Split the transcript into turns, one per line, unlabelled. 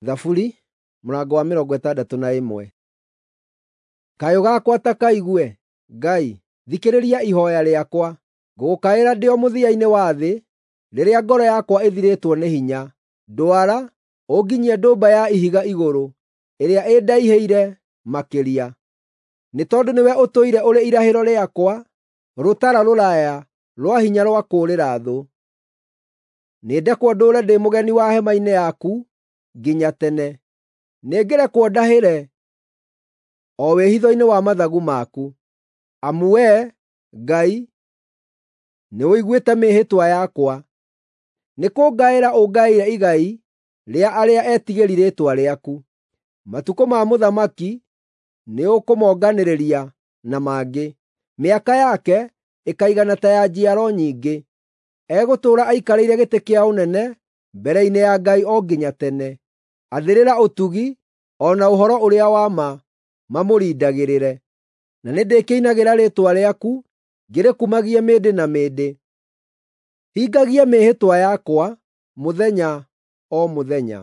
Thaburi mũrango wa 61. Kayũ gakwa ta kaigue, Ngai, thikĩrĩria ihooya rĩakwa. Ngũgũkaĩra ndĩ o mũthia-inĩ wa thĩ, rĩrĩa ngoro yakwa ĩthirĩtwo nĩ hinya. Ndwara, ũnginyie ndũmba ya ihiga igũrũ, ĩrĩa ĩndaihĩire makĩria. Nĩ tondũ nĩwe ũtũire ũrĩ irahĩro rĩakwa, rũtara rũraya rwa hinya rwa kũũrĩra thũ. Nĩndekwo ndũũre ndĩ mũgeni wa hema-inĩ yaku nginya tene; nĩngĩrekwo ndahĩre o wĩhitho-inĩ wa mathagu maku. Amu Wee, Ngai, nĩũiguĩte mĩĩhĩtwa yakwa; nĩkũngaĩra ũngaĩire igai rĩa arĩa etigĩri rĩĩtwa rĩaku. Matukũ ma mũthamaki nĩũkũmonganĩrĩria na mangĩ, mĩaka yake ĩkaigana ta ya njiaro nyingĩ. Egũtũũra aikarĩire gĩtĩ kĩa ũnene mbere-inĩ ya Ngai o nginya tene. Athĩrĩra ũtugi o na ũhoro ũrĩa wa ma mamũrindagĩrĩre. Na nĩndĩkĩinagĩra rĩĩtwa rĩaku ngĩrĩkumagie mĩndĩ na mĩndĩ. Hingagia mĩĩhĩtwa yakwa mũthenya o mũthenya.